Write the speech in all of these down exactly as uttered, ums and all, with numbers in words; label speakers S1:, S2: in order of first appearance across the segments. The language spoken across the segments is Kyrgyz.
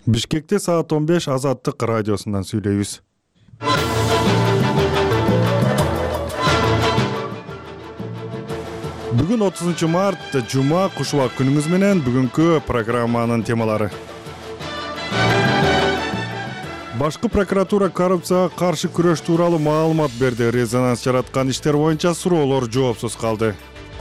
S1: Бишкекте саат он беш Азаттык радиосунан сүйлөйбүз. Бүгүн отузунчу март, жума, куш убак күнүңүз менен. Бүгүнкү программанын темалары. Башкы прокуратура коррупцияга каршы күрөш тууралуу маалымат берди. Резонанс жараткан иштер боюнча суроолор жоопсуз калды.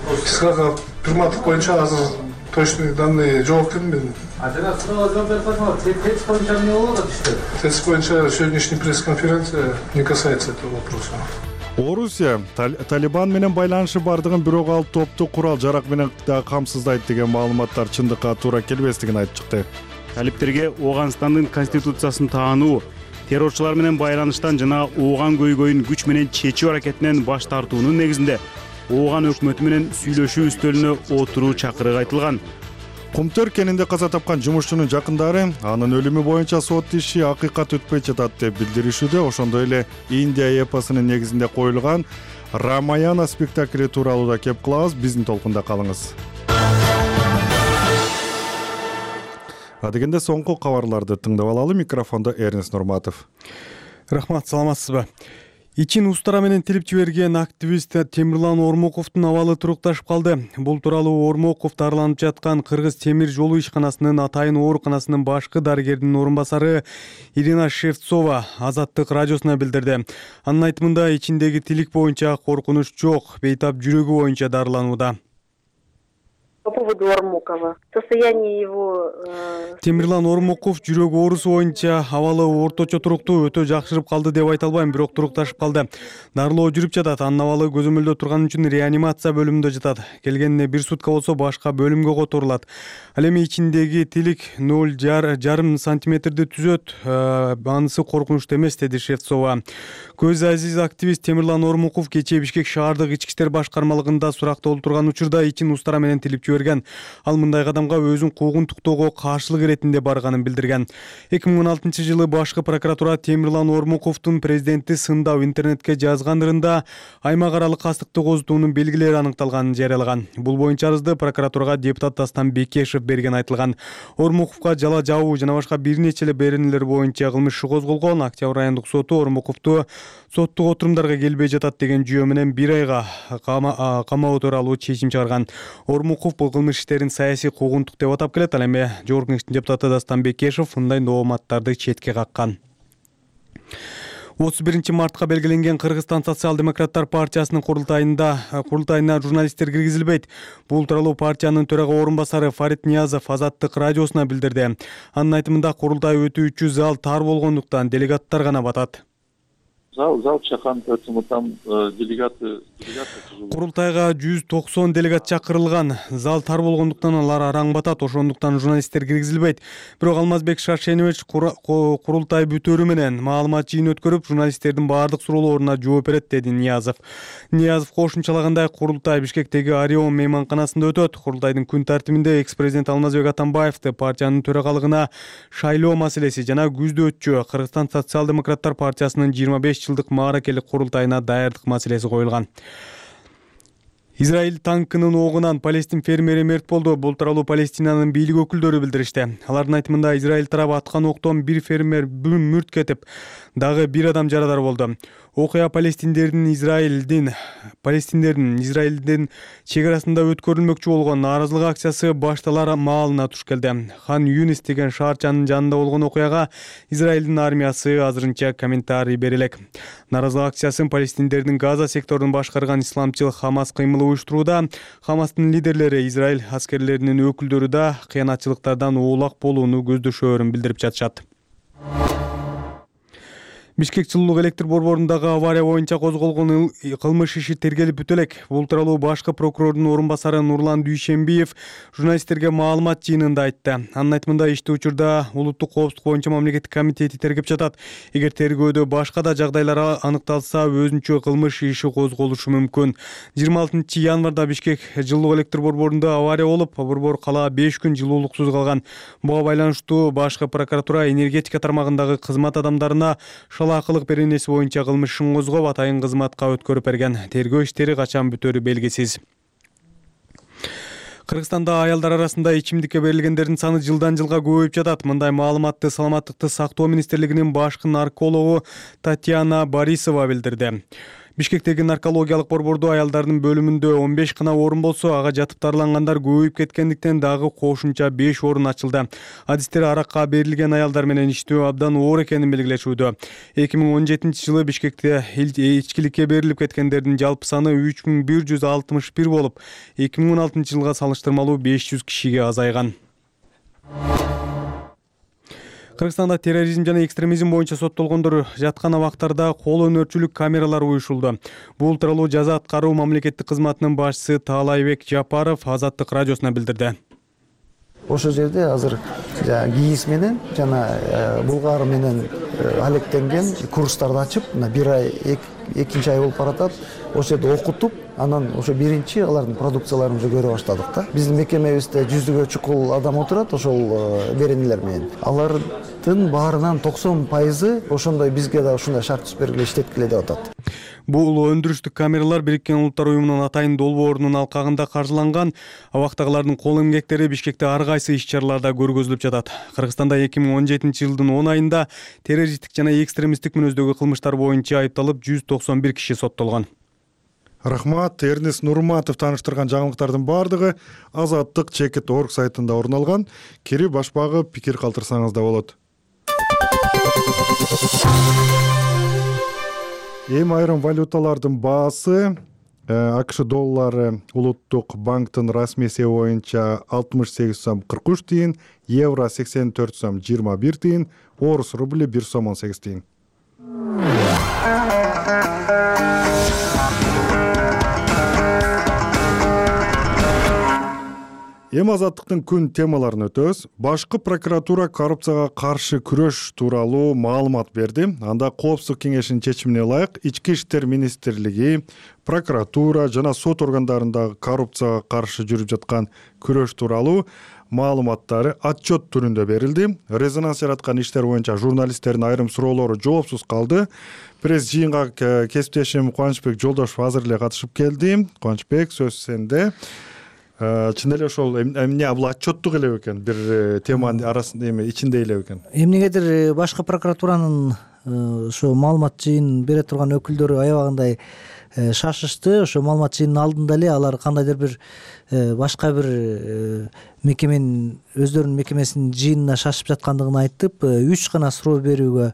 S2: Кыскага приматтык боюнча азыр точный данные жооп келмеди.
S3: А жана суроо жооп берип койсоңор, тест боюнча эмне болуп атат иште?
S2: Тест боюнча сегодняшняя пресс-конференция не касается этого вопроса.
S1: Орусия Талибан менен байланышы бардыгын бирок ал топту курал жарак менен да камсыздайт деген маалыматтар чындыкка туура келбестигин айтып чыкты.
S4: Талиптерге Ооганстандын конституциясын таануу, террорчулар менен байланыштан жана Ооган көйгөйүн күч менен чечүү аракетинен баш тартуунун негизинде Ооган өкмөтү менен сүйлөшүү үстөлүнө отуруу чакырыгы айтылган.
S1: Кумтөр кенинде каза тапкан жумушчунун жакындары анын өлүмү боюнча сот иши акыйкат өтпөй жатат деп билдиришүүдө. Ошондой эле Индия эпосунун негизинде коюлган Рамаяна спектакли тууралуу да кеп кылабыз. Биздин толкунда калыңыз. Адегенде соңку кабарларды тыңдап алалы. Микрофондо Эрнест Нурматов.
S5: Рахмат, саламатсызбы? Ичин устара менен тилип жиберген активист Темирлан Ормоковдун абалы турукташып калды. Бул тууралуу Ормоков дарыланып жаткан Кыргыз темир жолу ишканасынын атайын ооруканасынын башкы дарыгеринин орун басары Ирина Шевцова Азаттык радиосуна билдирди. Анын айтымында ичиндеги тилик боюнча коркунуч жок, бейтап жүрөгү боюнча дарыланууда.
S6: По поводу Ормокова. Состояние его...
S5: Темирлан Ормоков жүрөк оорусу боюнча абалы орточо туруктуу, өтө жакшырып калды деп айта албайм, бирок турукташып калды. Дарылоо жүрүп жатат. Анын абалы көзөмөлдө турган үчүн реанимация бөлүмүндө жатат. Келгенине бир сутка болсо башка бөлүмгө которулат. Ал эми ичиндеги тилик ноль жарым сантиметрди түзөт. Анысы коркунучтуу эмес, деди Шевцова. Көз азиз активист Темирлан Ормоков кечээ Бишкек шаардык ички иштер башкармалыгында суракталып турган учурда ичин устара менен тилип жиберген. Ал мындай кадамга өзүн куугунтуктоого каршылык иретинде барганын билдирген. эки миң он алтынчы жылы башкы прокуратура Темирлан Ормоковдун президентти сындап интернетке жазган ырында аймак аралык кастыкты козутуунун белгилери аныкталганын жарыялаган. Бул боюнча арызды прокуратурага депутат Дастан Бекешев берген айтылган. Ормоковго жала жабуу жана башка бир нече эле беренелер боюнча кылмыш иши козголгон. Октябрь райондук соту Ормоковду соттук отурумдарга келбей жатат деген жүйө менен бир айга камоо тууралуу чечим чыгарган. Ормоков бул кылмыш иштерин саясий куугунтук деп атап келет. Ал эми Жогорку Кеңештин депутаты Дастан Бекешев мындай дооматтарды четке каккан. отуз биринчи мартка белгиленген Кыргызстан социал-демократтар партиясынын курултайында курултайына журналисттер киргизилбейт. Бул тууралуу партиянын төрага орун басары Фарид Ниязов Азаттык радиосуна билдирди. Анын айтымында курултай өтүүчү зал тар болгондуктан делегаттар гана батат.
S7: Зал зал чакан там делегаты
S5: Курултайга жүз токсон делегат чакырылган. Зал тар болгондуктан алар араң батат. Ошондуктан журналисттер киргизилбейт. Бирок Алмазбек Шаршенович курултай бүтөрү менен маалымат жыйын өткөрүп, журналисттердин баардык суроолоруна жооп берет, деди Ниязов. Ниязов кошумчалагандай, курултай Бишкектеги Орион мейманканасында өтөт. Курултайдын күн тартибинде экс-президент Алмазбек Атамбаевди партиянын төрагалыгына шайлоо маселеси жана күздө өтчү Кыргызстан социал-демократтар партиясынын жыйырма беш жылдык мааракелик курултайына даярдык маселеси коюлган. Израиль танкынын оогунан Палестин фермери мерт болду. Бул тууралуу Палестинанын бийлик өкүлдөрү билдиришти. Алардын айтымында Израиль тарабы аткан октон бир фермер мүрт кетип, дагы бир адам жарадар болду. Окуя Палестиндердин Израилдин Палестиндердин Израилдин чек арасында өткөрүлмөкчү болгон нааразылык акциясы башталар маалына туш келди. Хан Юнис деген шаарчанын жанында болгон окуяга Израилдин армиясы азырынча комментарий бере элек. Нааразылык акциясын палестиндердин Газа секторун башкарган исламчыл Хамас кыймылы уюштурууда. Хамастын лидерлери Израиль аскерлеринин өкүлдөрү да кыянатчылыктардан оолак болууну көздөшөөрүн билдирип жатышат. Бишкек жылуулук электр борборундагы авария боюнча козголгон кылмыш иши тергелип бүтө элек. Бул тууралуу башкы прокурордун орун басары Нурлан Дүйшембиев журналисттерге маалымат жыйынында айтты. Анын айтымында ишти учурда улуттук коопсуздук боюнча мамлекеттик комитети тергеп жатат. Эгер тергөөдө башка да жагдайлар аныкталса, өзүнчө кылмыш иши козголушу мүмкүн. жыйырма алтынчы январда Бишкек жылуулук электр борборунда авария болуп, борбор кала беш күн жылуулуксуз калган. Буга байланыштуу башкы прокуратура энергетика тармагындагы кызмат адамдарына шалаакылык беренеси боюнча кылмыш ишин козгоп, атайын кызматка өткөрүп берген. Тергөө иштери качан бүтөрү белгисиз. Кыргызстанда аялдар арасында ичимдикке берилгендердин саны жылдан жылга көбөйүп жатат. Мындай маалыматты саламаттыкты сактоо министрлигинин башкы наркологу Татьяна Борисова билдирди. Бишкектеги наркологиялык борбордо аялдардын бөлүмүндө он беш гана орун болсо, ага жатып дарылангандар көбөйүп кеткендиктен дагы кошумча беш орун ачылды. Адистер аракка берилген аялдар менен иштөө абдан оор экенин белгилешүүдө. эки миң он жетинчи жылы Бишкекте ичкиликке берилип кеткендердин жалпы саны үч миң бир жүз алтымыш бир болуп, эки миң он алтынчы жылга салыштырмалуу беш жүз кишиге азайган. Кыргызстанда терроризм жана экстремизм боюнча соттолгондор жаткан абактарда кол өнөрчүлүк камералары уюшулду. Бул тууралуу жаза аткаруу мамлекеттик кызматынын башчысы Таалайбек Жапаров Азаттык радиосуна билдирди.
S8: Ошол жерде азыр ГИИС менен жана Булгар менен алектенген курстарды ачып, бир ай экинчи ай болуп баратат. Ошол жерде окутуп, анан ошо биринчи алардын продукцияларын уже көрө баштадык да. Биздин мекемебизде жүздүгө чукул адам отурат ошол беренелер менен. Алардын баарынан токсон пайызы ошондой бизге да ушундай шарт түзүп бергиле, иштеткиле деп атат.
S5: Бул өндүрүштүк камералар Бириккен Улуттар уюмунун атайын долбоорунун алкагында каржыланган. Абактагылардын кол эмгектери Бишкекте ар кайсы иш-чараларда көргөзүлүп жатат. Кыргызстанда эки миң он жетинчи жылдын он айында террористтик жана экстремисттик мүнөздөгү кылмыштар боюнча айыпталып жүз токсон бир киши соттолгон.
S1: Рахмат. Эрнест Нурматов тааныштырган жаңылыктардын баардыгы Азаттык чекит точка орг сайтында орун алган. Кирип башпагы пикир калтырсаңыз да болот. Эми айрым валюталардын баасы АКШ доллары улуттук банктын расмий эсеби боюнча алтымыш сегиз сом кырк үч тыйын, евро сексен төрт сом жыйырма бир тыйын, орус рубли бир сом он сегиз тыйын. Эми Азаттыктын күн темаларын өтөбүз. Башкы прокуратура коррупцияга каршы күрөш тууралуу маалымат берди. Анда Коопсуздук кеңешинин чечимине ылайык Ички иштер министрлиги, прокуратура жана сот органдарындагы коррупцияга каршы жүрүп жаткан күрөш тууралуу маалыматтары отчет түрүндө берилди. Резонанс жараткан иштер боюнча журналисттердин айрым суроолору жоопсуз калды. Пресс жыйынга кесиптешим Кубанычбек Жолдошев азыр эле катышып келди. Кубанычбек, сөз сенде. Чын эле ошол эмне бул отчеттук эле экен, бир теманын арасында эми ичинде эле экен.
S9: Эмнегедир башкы прокуратуранын ошо маалымат жыйын бере турган өкүлдөрү аябагандай шашышты. Ошо маалымат жыйынын алдында эле алар кандайдыр бир башка бир мекеменин өздөрүнүн мекемесинин жыйынына шашып жаткандыгын айтып, үч гана суроо берүүгө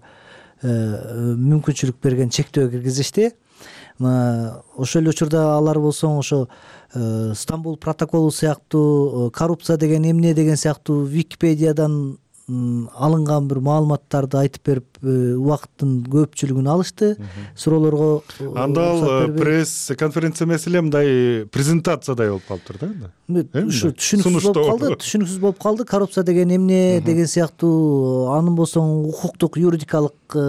S9: мүмкүнчүлүк берген чектөө киргизишти. Ошол эле учурда алар болсо ошо Стамбул протоколу сыяктуу, коррупция деген эмне деген сыяктуу Википедиядан алынган бир маалыматтарды айтып берип, убакыттын көпчүлүгүн алышты. Суроолорго
S1: анда ал пресс конференция эмес эле мындай презентациядай болуп калыптыр да.
S9: Ушу түшүнүксүз болуп калды, түшүнүксүз болуп калды. Коррупция деген эмне деген сыяктуу анын болсо укуктук, юридикалык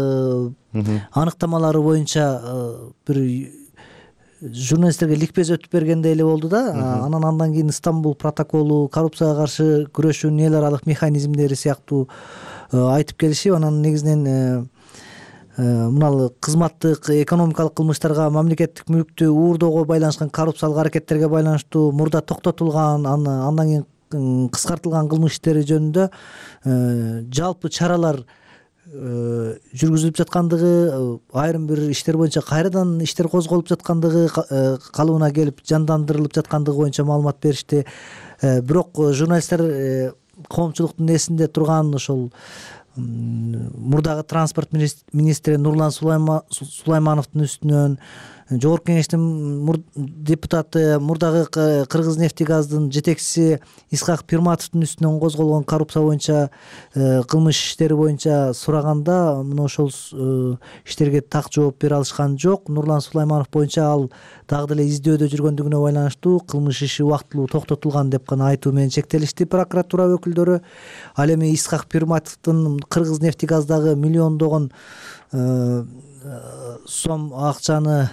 S9: аныктамалары боюнча бир журналисттерге ликбез өтүп бергендей эле болду да. Анан андан кийин Стамбул протоколу, коррупцияга каршы күрөшүүнүн эл аралык механизмдери сыяктуу айтып келишип, анан негизинен мына кызматтык, экономикалык кылмыштарга, мамлекеттик мүлктү уурдоого байланышкан коррупциялык аракеттерге байланыштуу мурда токтотулган, андан кийин кыскартылган кылмыш иштери жөнүндө жалпы чаралар жүргүзүлүп жаткандыгы, айрым бир иштер боюнча кайрадан иштер козголуп жаткандыгы, калыбына келип жандандырылып жаткандыгы боюнча маалымат беришти. Бирок журналисттер коомчулуктун эсинде турган ошол мурдагы транспорт министри Нурлан Сулаймановдун үстүнөн, Жогорку кеңештин депутаты, мурдагы Кыргызнефтегаздын жетекчиси Исхак Пирматовдун үстүнөн козголгон коррупция боюнча кылмыш иштери боюнча сураганда, мына ошол иштерге так жооп бере алышкан жок. Нурлан Сулайманов боюнча ал дагы деле издөөдө жүргөндүгүнө байланыштуу кылмыш иши убактылуу токтотулган деп гана айтуу менен чектелишти прокуратура өкүлдөрү. Ал эми Исхак Пирматовдун Кыргызнефтегаздагы миллиондогон сом акчаны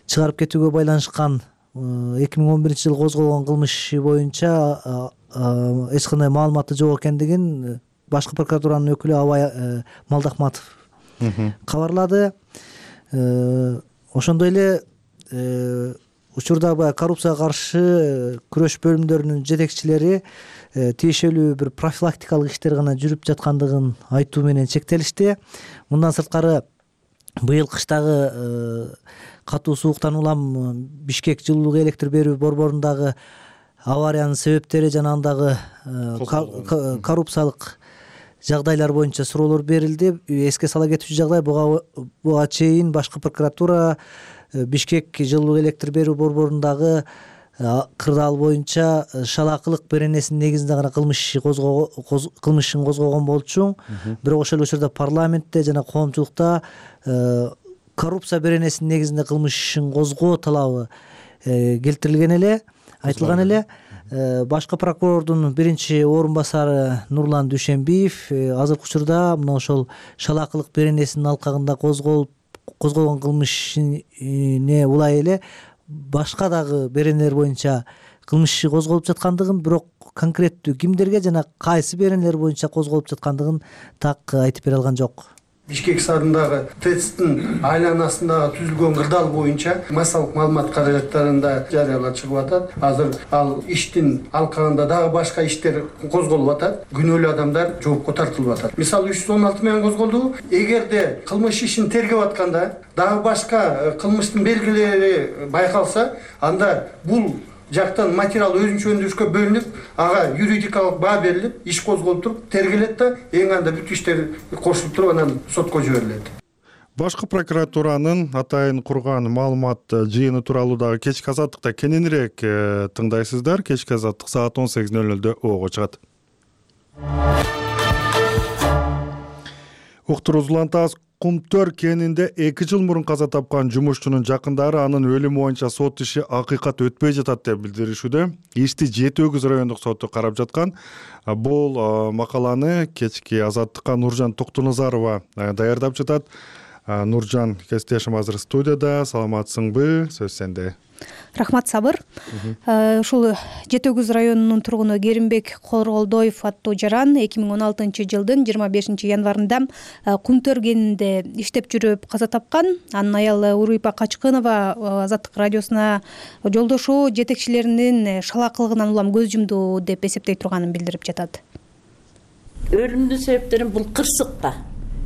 S9: чыгарып кетүүгө байланышкан эки миң он биринчи жылы козголгон кылмыш иши боюнча эч кандай маалыматы жок экендигин башкы прокуратуранын өкүлү Абай Малдахматов кабарлады. Ошондой эле учурда баягы коррупцияга каршы күрөш бөлүмдөрүнүн жетекчилери тиешелүү бир профилактикалык иштер гана жүрүп жаткандыгын айтуу менен чектелишти. Мындан сырткары быйыл кыштагы катуу сууктан улам Бишкек жылуулук электр берүү борборундагы авариянын себептери жана андагы коррупциялык жагдайлар боюнча суроолор берилди. Эске сала кетүүчү жагдай, буга буга чейин башкы прокуратура Бишкек жылуулук электр берүү борборундагы кырдаал боюнча шалаакылык беренесинин негизинде гана кылмыш иши кылмыш ишин козгогон болчу. Бирок ошол учурда парламентте жана коомчулукта коррупция беренесинин негизинде кылмыш ишин козгоо талабы келтирилген эле, айтылган эле. Башкы прокурордун биринчи орун басары Нурлан Дүйшенбиев азыркы учурда мына ошол шалаакылык беренесинин алкагында козголуп козголгон кылмыш ишине улай эле башка дагы беренелер боюнча кылмыш иши козголуп жаткандыгын, бирок конкреттүү кимдерге жана кайсы беренелер боюнча козголуп жаткандыгын так айтып бере алган жок.
S10: Бишкек шаарындагы ТЭЦтин айланасындагы түзүлгөн кырдаал боюнча массалык маалымат каражаттарында жарыялар чыгып атат. Азыр ал иштин алкагында дагы башка иштер козголуп атат. Күнөөлүү адамдар жоопко тартылып атат. Мисалы үч жүз он алты менен козголду. Эгерде кылмыш ишин тергеп атканда дагы башка кылмыштын белгилери байкалса, анда бул жактан материал өзүнчө өндүрүшкө бөлүнүп, ага юридикалык баа берилип, иш козголуп туруп, тергелет да, эң анда бүт иштер кошулуп туруп анан сотко жиберилет.
S1: Башкы прокуратуранын атайын курган маалымат жыйыны тууралуу дагы кечки азаттыкта кененирээк тыңдайсыздар. Кечки азаттык саат он сегиз нөл нөлдө ого чыгат. Уктуруусу улантабыз. Кумтөр кенинде эки жыл мурун каза тапкан жумушчунун жакындары анын өлүмү боюнча сот иши акыйкат өтпөй жатат деп билдиришүүдө. Ишти жети өгүз райондук соту карап жаткан. Бул макаланы кечки азаттыкка Нуржан Токтуназарова даярдап жатат. Нуржан, кесиптешим азыр студияда. Саламатсыңбы? Сөз сенде.
S11: Рахмат, Сабыр. Ушул жети өгүз районунун тургуну Керимбек Корголдоев аттуу жаран эки миң он алтынчы жылдын жыйырма бешинчи январында Кумтөр кенинде иштеп жүрүп каза тапкан. Анын аялы Уруйпа Качкынова Азаттык радиосуна жолдошуу жетекчилеринин шалаакылыгынан улам көз жумду деп эсептей турганын билдирип жатат.
S12: Өлүмдүн себептерин бул кырсык да.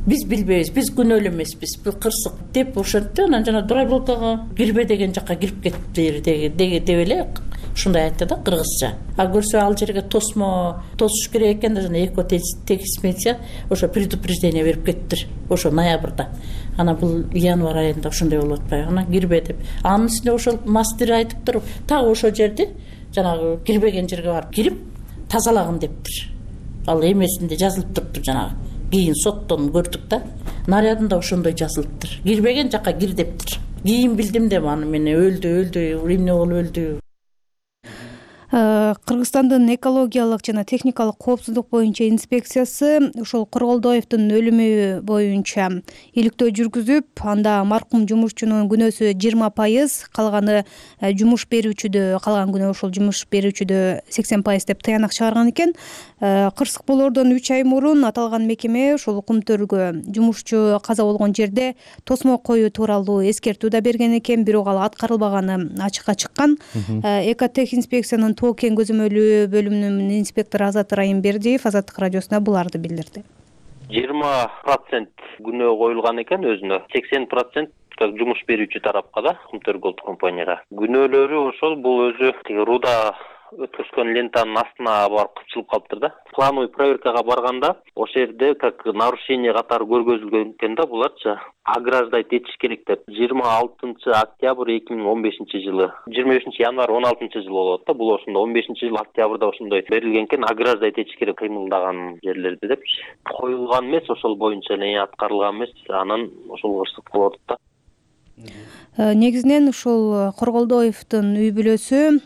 S12: Биз билбейбиз, биз күнөөлүү эмеспиз, бул кырсык деп ошентти. Анан жана Дурайболкага кирбе деген жакка кирип кетти деп эле ушундай айтты да кыргызча. А көрсө ал жерге тосмо тосуш керек экен да, жана эко техисмедия ошо предупреждение берип кеттир. Ошо ноябрда. Анан бул январь айында ошондой болуп атпайбы? Анан кирбе деп. Анын үстүнө ошол мастер айтып туруп, так ошол жерди жанагы кирбеген жерге барып кирип тазалагын дептир. Ал эмесинде жазылып туруптур жанагы. Кийин соттон көрдүк да, нарядында ошондой жазылыптыр. Кирбеген жакка кир дептир. Кийин билдим да аны менен өлдү, өлдү, эмне болуп өлдү.
S11: Кыргызстандын экологиялык жана техникалык коопсуздук боюнча инспекциясы ушул Корголдоевдун өлүмү боюнча иликтөө жүргүзүп, анда маркум жумушчунун күнөөсү жыйырма пайыз, калганы жумуш берүүчүдө, калган күнөө ошол жумуш берүүчүдө сексен пайыз деп тыянак чыгарган экен. Кырсык болоордон үч ай мурун аталган мекеме ушул Кумтөргө жумушчу каза болгон жерде тосмо коюу тууралуу эскертүү да берген экен, бирок ал аткарылбаганы ачыкка чыккан. Экотех инспекциянын Тоо кен көзөмөлүү бөлүмүнүн инспектору Азат Райымбердиев Азаттык радиосуна буларды билдирди.
S13: жыйырма процент күнөө коюлган экен өзүнө, сексен процент как жумуш берүүчү тарапка да, Кумтөр Голд компанияга. Күнөөлөрү ошол бул өзү руда өткөзгөн лентанын астына барып кыпчылып калыптыр да. Плановый проверкага барганда ошол жерде как нарушение катары көргөзүлгөн экен да, буларчы ограждать этиш керек деп. жыйырма алтынчы октябрь эки миң он бешинчи жылы, жыйырма бешинчи январь он алтынчы жыл болот да. Бул ошондо он бешинчи жыл октябрда ошондой берилген экен, ограждать этиш керек кыймылдаган жерлерди депчи. Коюлган эмес, ошол боюнча эле аткарылган эмес, анан ошол кырсык болот да.
S11: Негизинен ушул Корголдоевдун үй бүлөсү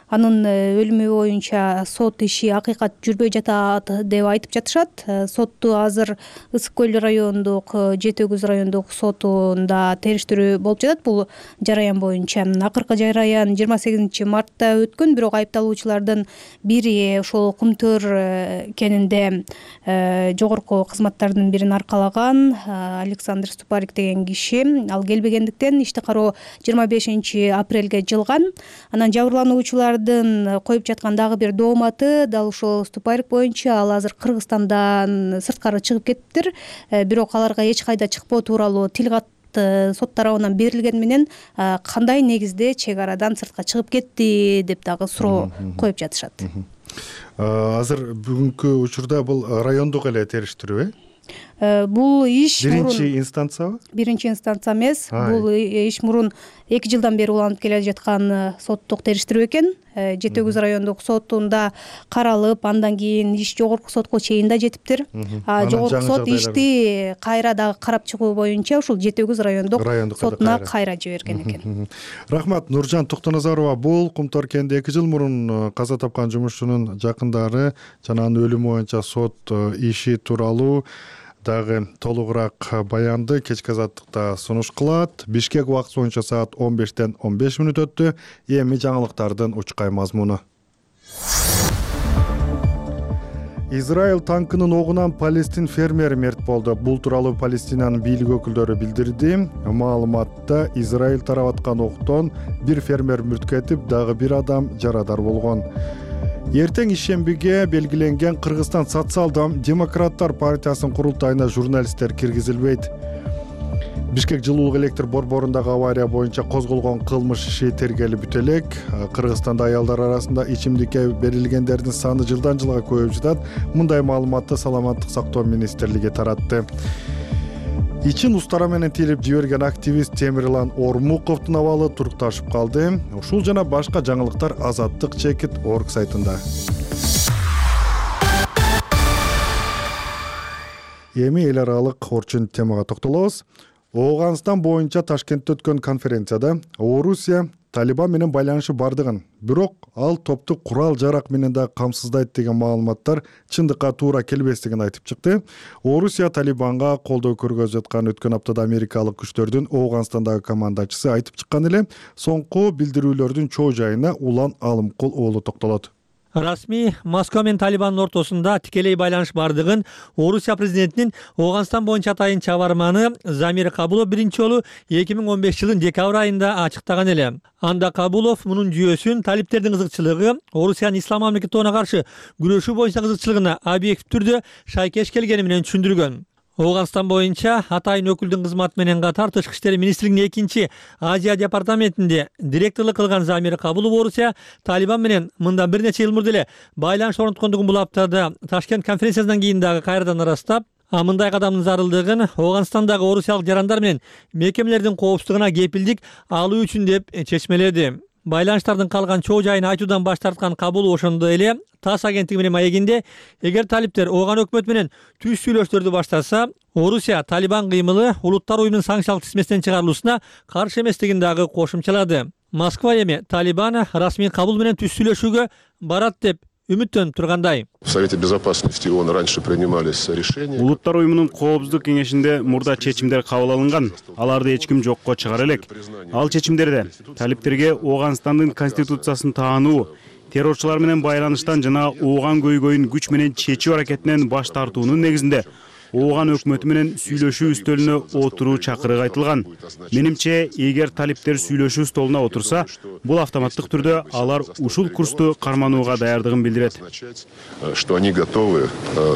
S11: анын өлүмү боюнча сот иши акыйкат жүрбөй жатат деп айтып жатышат. Сотту азыр Ысык көл райондук Жети Өгүз райондук сотунда териштирүү болуп жатат бул жараян боюнча. Акыркы жараян жыйырма сегизинчи мартта өткөн, бирок айыпталуучулардын бири ошол Кумтөр кенинде жогорку кызматтардын бирин аркалаган Александр Ступарик деген киши. Ал келбегендиктен ишти кароо жыйырма бешинчи апрелге жылган. Анан жабырлануучулардын коюп жаткан дагы бир дооматы дал ушул Ступарик боюнча. Ал азыр Кыргызстандан сырткары чыгып кетиптир, бирок аларга эч кайда чыкпоо тууралуу тил кат сот тарабынан берилгени менен кандай негизде чек арадан сыртка чыгып кетти деп дагы суроо коюп жатышат.
S1: Азыр бүгүнкү учурда бул райондук эле териштирүү э?
S11: Бул иш
S1: биринчи инстанциябы?
S11: Биринчи инстанция эмес. Бул иш мурун эки жылдан бери уланып келе жаткан соттук териштирүү экен. Жети Өгүз райондук сотунда каралып, андан кийин иш жогорку сотко чейин да жетиптир. А жогорку сот ишти кайра дагы карап чыгуу боюнча ушул Жети Өгүз райондук сотуна кайра жиберген экен.
S1: Рахмат. Нуржан Токтоназарова, бул Кумтөр кенинде эки жыл мурун каза тапкан жумушчунун жакындары жана анын өлүмү боюнча сот иши тууралуу дагы толугураак баянды кечки азаттыкта сунуш кылат. Бишкек убакыты боюнча саат он бештен он беш мүнөт өттү. Эми жаңылыктардын учкай мазмуну. Израиль танкынын огунан палестин фермери мерт болду. Бул тууралуу Палестинанын бийлик өкүлдөрү билдирди. Маалыматта Израиль тарап аткан октон бир фермер мүрт кетип, дагы бир адам жарадар болгон. Эртең ишембиге белгиленген Кыргызстан социал-демократтар партиясынын курултайына журналисттер киргизилбейт. Бишкек жылуулук электр борборундагы авария боюнча козголгон кылмыш иши тергелип бүтө элек. Кыргызстанда аялдар арасында ичимдикке берилгендердин саны жылдан жылга көбөйүп жатат. Мындай маалыматты Саламаттык сактоо министрлиги таратты. Ичин устара менен тилип жиберген активист Темирлан Ормуковдун абалы турукташып калды. Ушул жана башка жаңылыктар Азаттык чекит орг сайтында. Эми эл аралык орчун темага токтолобуз. Ооганстан боюнча Ташкентте өткөн конференцияда Орусия Талибан менен байланышы бардыгын, бирок ал топту курал жарак менен да камсыздайт деген маалыматтар чындыкка туура келбестигин айтып чыкты. Орусия Талибанга колдоо көргөзүп жаткан өткөн аптада америкалык күчтөрдүн Ооганстандагы командачысы айтып чыккан эле. Соңку билдирүүлөрдүн чоо жайына Улан Алымкул уулу токтолот.
S14: Расмий Москва менен Талибандын ортосунда тикелей байланыш бардыгын Орусия президентинин Ооганстан боюнча атайын чабарманы Замир Кабулов биринчи жолу эки миң он беш жылдын декабрь айында ачыктаган эле. Анда Кабулов мунун жүйөсүн талиптердин кызыкчылыгы Орусиянын ислам мамлекетине каршы күрөшүү боюнча кызыкчылыгына объектив түрдө шайкеш келгени менен түшүндүргөн. Ооганстан боюнча атайын өкүлдүн кызматы менен катар Тышкы иштер министрлигинин экинчи Азия департаментинде директорлук кылган Замир Кабулов Орусия Талибан менен мындан бир нече жыл мурда эле байланыш орноткондугун бул аптада Ташкент конференциясынан кийин дагы кайрадан ырастап, а мындай кадамдын зарылдыгын Ооганстандагы орусиялык жарандар менен мекемелердин коопсуздугуна кепилдик алуу үчүн деп чечмеледи. Байланыштардын калган чоо жайын айтуудан баш тарткан Кабулов ошондой эле ТАСС агенттиги менен маегинде, эгер талиптер Ооган өкмөтү менен түз сүйлөшүүлөрдү баштаса, Орусия Талибан кыймылы улуттар уюмунун санкциялык тизмесинен чыгарылуусуна каршы эместигин дагы кошумчалады. Москва эми Талибан Расмий Кабул менен түз сүйлөшүүгө барат деп үмүттөнүп тургандай.
S15: В Совете безопасности ООН раньше принимались решения.
S4: Улуттар уюмунун коопсуздук кеңешинде мурда чечимдер кабыл алынган. Аларды эч ким жокко чыгара элек. Ал чечимдерде талиптерге Ооганстандын конституциясын таануу, террорчулар менен байланыштан жана Ооган көйгөйүн күч менен чечүү аракетинен баш тартуунун негизинде Ооган өкмөтү менен сүйлөшүү үстөлүнө отуруу чакырыгы айтылган. Менимче, эгер талиптер сүйлөшүү столуна отурса, бул автоматтык түрдө алар ушул курсту карманууга даярдыгын билдирет.
S15: Что они готовы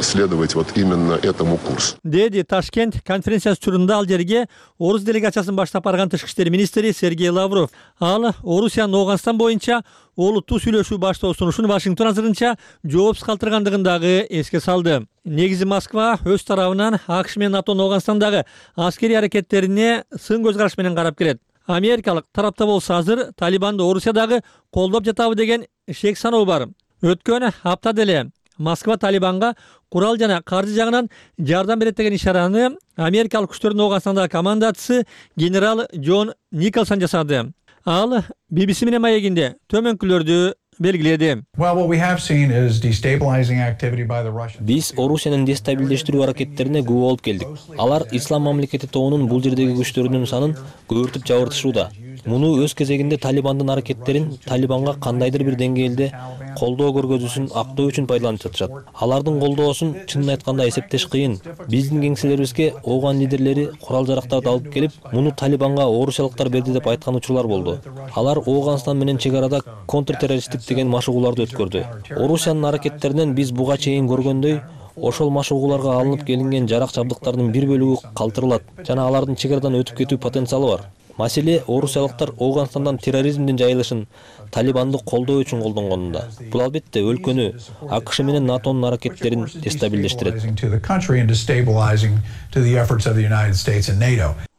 S15: следовать вот именно этому курсу.
S14: Деди Ташкент конференциясы учурунда ал жерге орус делегациясын баштап барган Тышкы иштер министри Сергей Лавров. Ал Орусиянын Ооганстан боюнча олуттуу сүйлөшүү баштоо сунушун Вашингтон азырынча жоопсуз калтыргандыгын дагы эске салды. Негизи Москва өз тарабынан АКШ менен НАТОнун Ооганстандагы аскерий аракеттерине сын көз караш менен карап келет. Америкалык тарапта болсо азыр Талибанды Орусиядагы колдоп жатабы деген шек саноо бар. Өткөн аптада эле Москва Талибанга курал жана каржы жагынан жардам берет деген ишараны америкалык күчтөрдүн Ооганстандагы командачысы генерал Джон Николсон жасады. Ал би би си менен маегинде төмөнкүлөрдү белгиледи.
S16: Биз Орусиянын дестабилдештирүү аракеттерине күбө болуп келдик. Алар Ислам мамлекети тобунун бул жердеги күчтөрүнүн санын көбүртүп жабыртышууда. Муну өз кезегинде Талибандын аракеттерин Талибанга кандайдыр бир деңгээлде колдоо көргөзүүсүн актоо үчүн пайдаланып жатышат. Алардын колдоосун чынын айтканда эсептеш кыйын. Биздин кеңселерибизге ооган лидерлери курал-жарактарды алып келип, муну Талибанга орусиялыктар берди деп айткан учурлар болду. Алар Ооганстан менен чек арада контртеррористтик деген машыгууларды өткөрдү. Орусиянын аракеттеринен биз буга чейин көргөндөй, ошол машыгууларга алынып келинген жарак жабдыктардын бир бөлүгү калтырылат жана алардын чек арадан өтүп кетүү потенциалы бар. Маселе орусиялыктар Ооганстандан терроризмдин жайылышын Талибанды колдоо үчүн колдонгонунда. Бул албетте өлкөнү, АКШ менен НАТОнун аракеттерин дестабилдештирет.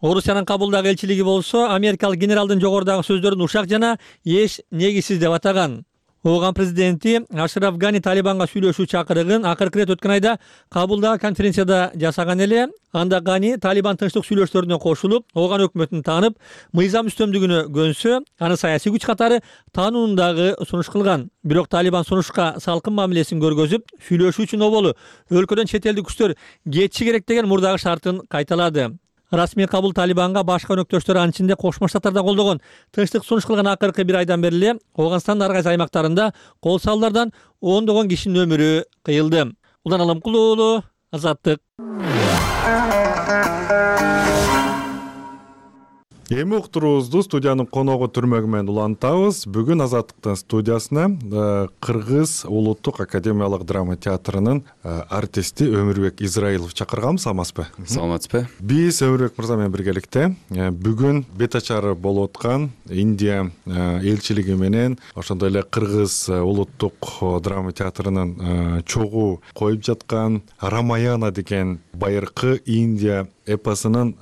S14: Орусиянын Кабулдагы элчилиги болсо америкалык генералдын жогорудагы сөздөрүн ушак жана эч негизсиз деп атаган. Ооган президенти Ашраф Гани Талибанга сүйлөшүү чакырыгын акыркы ирет өткөн айда Кабулдагы конференцияда жасаган эле. Анда Гани Талибан тынчтык сүйлөшүүлөрүнө кошулуп, Ооган өкмөтүн таанып, мыйзам үстөмдүгүнө көнсө, аны саясий күч катары таанууну дагы сунуш кылган. Бирок Талибан сунушка салкын мамилесин көргөзүп, сүйлөшүү үчүн оболу өлкөдөн чет элдик күчтөр кетиши керек деген мурдагы шартын кайталады. Расмий кабыл Талибанга башка өнөктөштөр анын ичинде Кошмо Штаттар да колдогон. Тынчтык сунуш кылган акыркы бир айдан бери эле Ооганстандын ар кайсы аймактарында кол салуулардан ондогон кишинин өмүрү кыйылды. Улан Аламкул уулу, Азаттык.
S1: Эми уктуруубузду студиянын коногу Түрмөгү менен улантабыз. Бүгүн Азаттыктын студиясына Кыргыз улуттук академиялык драма театрынын артисти Өмүрбек Израилов чакырганбыз, саламатсызбы?
S17: Саламатсызбы.
S1: Биз Өмүрбек мырза менен биргеликте бүгүн бет ачары болуп аткан Индия элчилиги менен ошондой эле Кыргыз улуттук драма театрынын чогуу коюп жаткан Рамаяна деген байыркы Индия эпосунун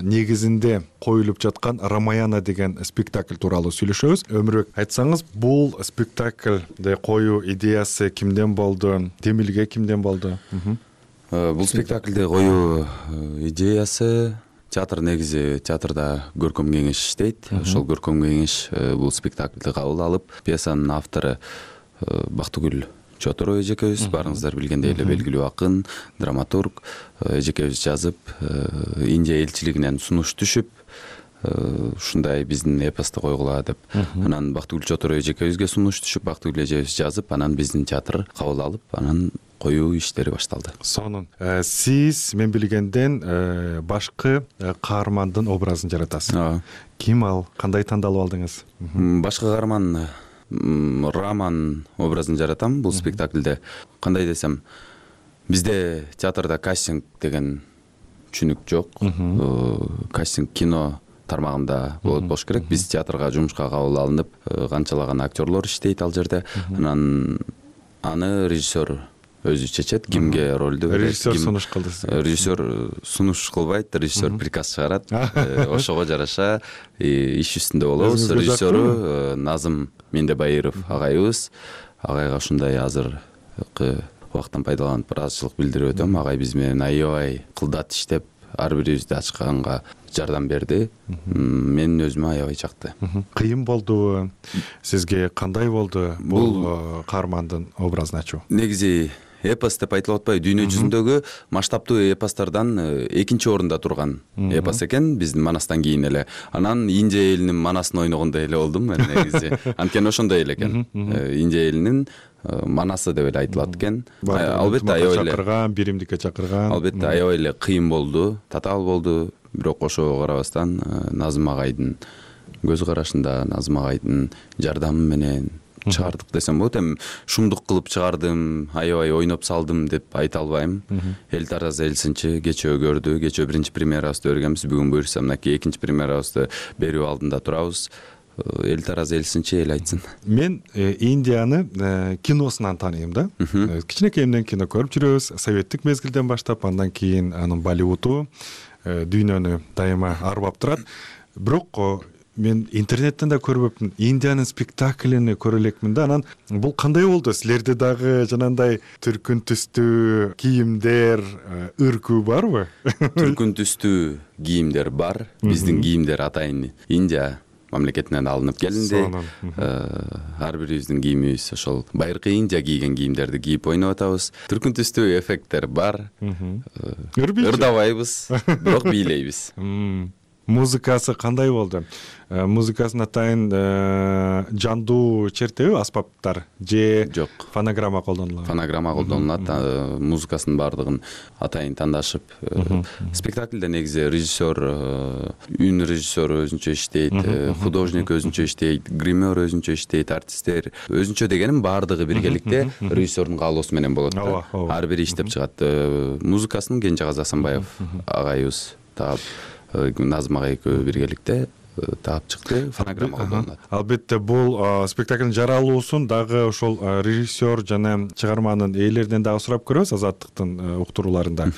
S1: негизинде коюлуп жаткан Рамаяна деген спектакль тууралуу сүйлөшөбүз. Өмүрбек, айтсаңыз, бул спектакльди коюу идеясы кимден болду? Демилге кимден болду?
S17: Бул спектакльди коюу идеясы театр негизи театрда көркөм кеңеш иштейт. Ошол көркөм кеңеш бул спектакльди кабыл алып, пьесанын автору Бактыгүл Чотор эжекебиз, баарыңыздар билгендей эле белгилүү акын, драматург эжекебиз жазып, Индия элчилигинен сунуш түшүп, ушундай биздин эпосто койгула деп. Анан Бактыгүл Чотор эжекебизге сунуш түшүп, Бактыгүл эжебиз жазып, анан биздин театр кабыл алып, анан коюу иштери башталды.
S1: Сонун. Сиз мен билгенден башкы каармандын образын жаратасыз. Ким ал? Кандай тандалып алдыңыз?
S17: Башкы каарман Раман образын жаратам бул спектакльде. Кандай десем, бизде театрда кастинг деген түшүнүк жок. Кастинг кино тармагында болот болуш керек. Биз театрга жумушка кабыл алынып, канчалаган актерлор иштейт ал жерде. Анан аны режиссер өзү чечет, кимге ролду берет.
S1: Режиссер сунуш кылды.
S17: Режиссер сунуш кылбайт, режиссер приказ чыгарат. Ошого жараша иш үстүндө болобуз. Режиссеру Назым Мендебайыров агайыбыз. Агайга ушундай азыркы убакыттан пайдаланып ыраазычылык билдирип өтөм. Агай биз менен аябай кылдат иштеп, ар бирибизди ачканга жардам берди. Мен өзүмө аябай жакты.
S1: Кыйын болдубу? Сизге кандай болду бул каармандын образын ачуу?
S17: Негизи эпос деп айтылып атпайбы, дүйнө жүзүндөгү масштабтуу эпостордон экинчи орунда турган эпос экен, биздин Манастан кийин эле. Анан Индия элинин Манасын ойногондой эле болдум мен негизи. Анткени ошондой эле экен. Индия элинин Манасы деп эле айтылат экен. Албетте аябай эле
S1: чакырган, биримдикке чакырган.
S17: Албетте аябай эле кыйын болду, татаал болду. Бирок ошого карабастан Назым агайдын көз карашында, Назым агайдын жардамы менен чыгардык десем болот. Эми шумдук кылып чыгардым, аябай ойноп салдым деп айта албайм. Эл тараз эл сынчы кечөө көрдү. Кечөө биринчи премьерабызды бергенбиз. Бүгүн буюрса мынакей экинчи премьерабызды берүү алдында турабыз. Эл тараз эл сынчы, эл айтсын.
S1: Мен Индияны киносунан тааныйм да. Кичинекейимден кино көрүп жүрөбүз. Советтик мезгилден баштап, андан кийин анын Болливуду дүйнөнү дайыма арбап турат. Бирок мен интернеттен да көрбөпмүн. Индиянын спектаклини көрө элекмин да. Анан бул кандай болду? Силерде дагы жанагындай түркүн түстүү кийимдер, ыркуу барбы?
S17: Түркүн түстүү кийимдер бар. Биздин кийимдер атайын Индия мамлекетинен алынып келинди. Ар бирибиздин кийимибиз ошол байыркы Индия кийген кийимдерди кийип ойноп атабыз. Түркүн түстүү эффекттер бар. Ырдабайбыз, бирок бийлейбиз.
S1: Музыкасы кандай болду? Музыкасын атайын жандуу чертеби аспаптар же
S17: жок,
S1: фонограмма колдонулат?
S17: Фонограмма колдонулат. Музыкасынын баардыгын атайын тандашып. Спектакльде негизи режиссер, үн режиссеру өзүнчө иштейт, художник өзүнчө иштейт, гример өзүнчө иштейт, артисттер өзүнчө дегеним баардыгы биргеликте режиссердун каалоосу менен болот да. Ар бири иштеп чыгат. Музыкасын Кенжегазы Асанбаев агайыбыз таап, Назым агай экөө биргеликте таап чыкты. Фонограмма колдонулат.
S1: Албетте бул спектаклдин жаралуусун дагы ошол режиссер жана чыгарманын ээлеринен дагы сурап көрөбүз Азаттыктын уктурууларында.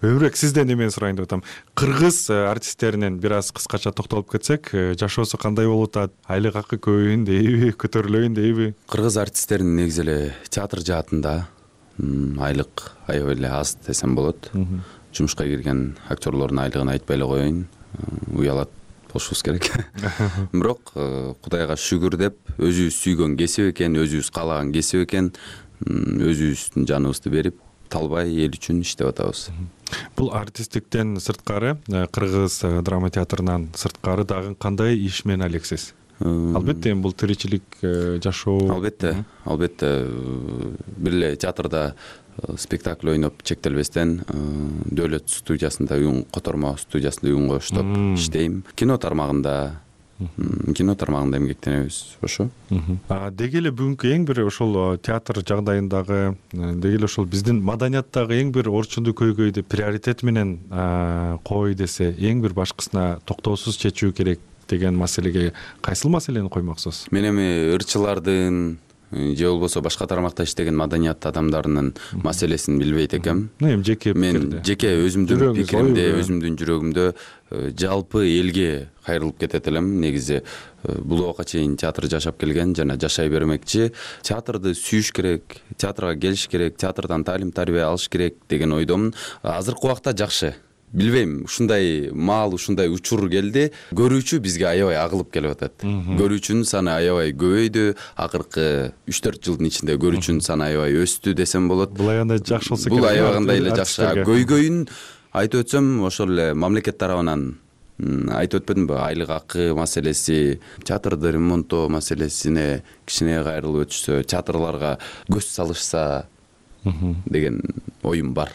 S1: Өмүрбек, сизден эмени сурайын деп атам. Кыргыз артисттеринен бир аз кыскача токтолуп кетсек, жашоосу кандай болуп атат? Айлык акы көбөйүн дейби, көтөрүлөйүн дейби?
S17: Кыргыз артисттеринин негизи эле театр жаатында айлык аябай эле аз десем болот. Жумушка кирген актерлордун айлыгын айтпай эле коеюн, уялат болушубуз керек. Бирок Кудайга шүгүр деп, өзүбүз сүйгөн кесип экен, өзүбүз каалаган кесип экен, өзүбүздүн жаныбызды берип, талбай эл үчүн иштеп атабыз.
S1: Бул артисттиктен сырткары, кыргыз драма театрынан сырткары дагы кандай иш менен алексиз? Албетте бул тиричилик, жашоо.
S17: Албетте, албетте бир эле театрда спектакль ойноп чектелбестен Дөөлөт студиясында, уюн котормо студиясында уюн коштоп иштейм. Кино тармагында, кино тармагында эмгектенебиз, ошо.
S1: Деги эле бүгүнкү эң бир ошол театр жагдайындагы, деги эле ошол биздин маданияттагы эң бир орчунду көйгөйдү приоритет менен кой десе, эң бир башкысына токтоосуз чечүү керек деген маселеге кайсыл маселени коймоксуз?
S17: Мен эми ырчылардын же болбосо башка тармакта иштеген маданият адамдарынын маселесин билбейт экем.
S1: Эми жеке
S17: мен жеке өзүмдүн пикиримде, өзүмдүн жүрөгүмдө жалпы элге кайрылып кетет элем. Негизи бул убакка чейин театр жашап келген жана жашай бермекчи. Театрды сүйүш керек, театрга келиш керек, театрдан таалим тарбия алыш керек деген ойдомун. Азыркы убакта жакшы. Билбейм, ушундай маал, ушундай учур келди. Көрүүчү бизге аябай агылып келип атат. Көрүүчүнүн саны аябай көбөйдү. Акыркы үч төрт жылдын ичинде көрүүчүнүн саны аябай өстү десем болот.
S1: Бул аябай жакшы болсо керек.
S17: Бул аябай эле жакшы. Көйгөйүн айтып өтсөм, ошол эле мамлекет тарабынан айтып өтпөдүмбү? Айлык акы маселеси, театрды ремонттоо маселесине кичине кайрылып өтүшсө, театрларга көз салышса деген оюм бар.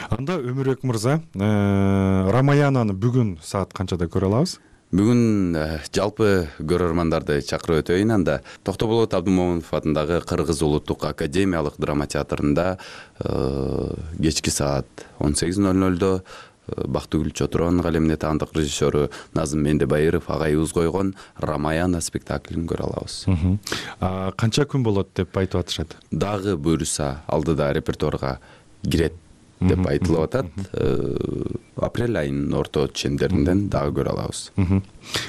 S1: Анда Өмүрбек мырза, Рамаянаны бүгүн саат канчада көрө алабыз?
S17: Бүгүн жалпы көрөрмандарды чакырып өтөйүн. Анда Токтоболот Абдымомунов атындагы Кыргыз улуттук академиялык драма театрында кечки саат он сегиз ноль нольдо Бактыгүл Чотуронун калемине таандык режиссеру Назым Мендебайыров агайыбыз койгон Рамаяна спектаклин көрө алабыз.
S1: Канча күн болот деп айтып атышат?
S17: Дагы буюрса алдыда репертуарга кирет деп айтылып атат. Апрель айынын орто чендеринен дагы көрө алабыз.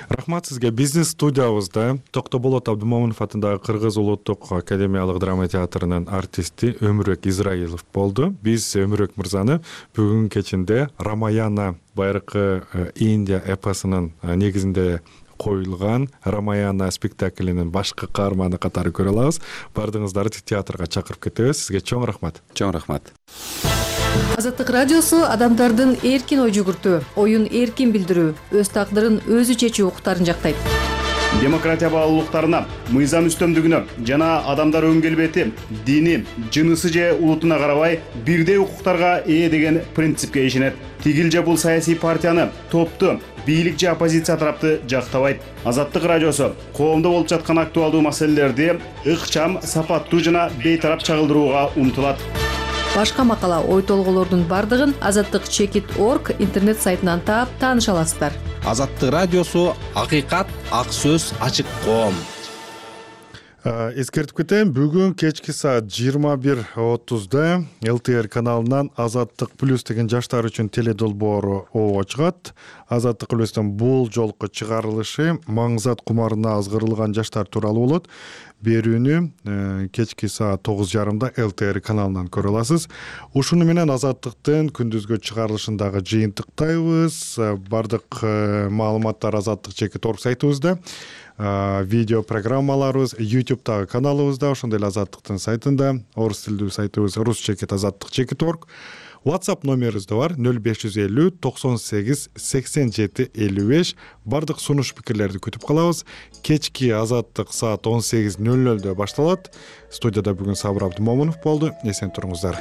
S1: Рахмат сизге. Биздин студиябызда Токтоболот Абдымомунов атындагы Кыргыз улуттук академиялык драма театрынын артисти Өмүрбек Израилов болду. Биз Өмүрбек мырзаны бүгүн кечинде Рамаяна байыркы Индия эпосунун негизинде коюлган Рамаяна спектаклинин башкы каарманы катары көрө алабыз. Бардыгыңыздарды театрга чакырып кетебиз. Сизге чоң рахмат.
S17: Чоң рахмат.
S18: Азаттык радиосу адамдардын эркин ой жүгүртүү, оюн эркин билдирүү, өз тагдырын өзү чечүү укуктарын жактайт.
S4: Демократия баалуулуктарына, мыйзам үстөмдүгүнө жана адамдар өн келбети, дини, жынысы же улутуна карабай бирдей укуктарга ээ деген принципке ишенет. Тигил же бул саясий партияны, топту, бийлик же оппозиция тарапты жактабайт. Азаттык радиосу коомдо болуп жаткан актуалдуу маселелерди ыкчам, сапаттуу жана бейтарап чагылдырууга умтулат.
S18: Башка макала, ой толголордун бардыгын азаттык чекит точка орг интернет сайтынан таап тааныша аласыздар.
S19: Азаттык радиосу акыйкат, ак сөз, ачык коом.
S1: Эскертип кетейин, бүгүн кечки саат жыйырма бир отузда эл тэ эр каналынан Азаттык плюс деген жаштар үчүн теледолбоору оо чыгат. Азаттык плюстун бул жолку чыгарылышы маңзат кумарына азгырылган жаштар тууралуу болот. Берүүнү кечки саат тогуз жарымда эл тэ эр каналынан көрө аласыз. Ушуну менен Азаттыктын күндүзгү чыгарылышындагы жыйынтыктайбыз. Бардык маалыматтар Азаттык чекит орг сайтыбызда. Видео программаларыбыз ютубтагы каналыбызда, ошондой эле Азаттыктын сайтында, орус тилдүү сайтыбыз рус чекит азаттык чекит орг. WhatsApp номерибиз да бар нөл беш жүз элүү токсон сегиз сексен жети элүү беш. Бардык сунуш пикирлерди күтүп калабыз. Кечки Азаттык саат он сегиз нөл нөлдө башталат. Студияда бүгүн Сабыр Абдымомунов болду. Эсен туруңуздар.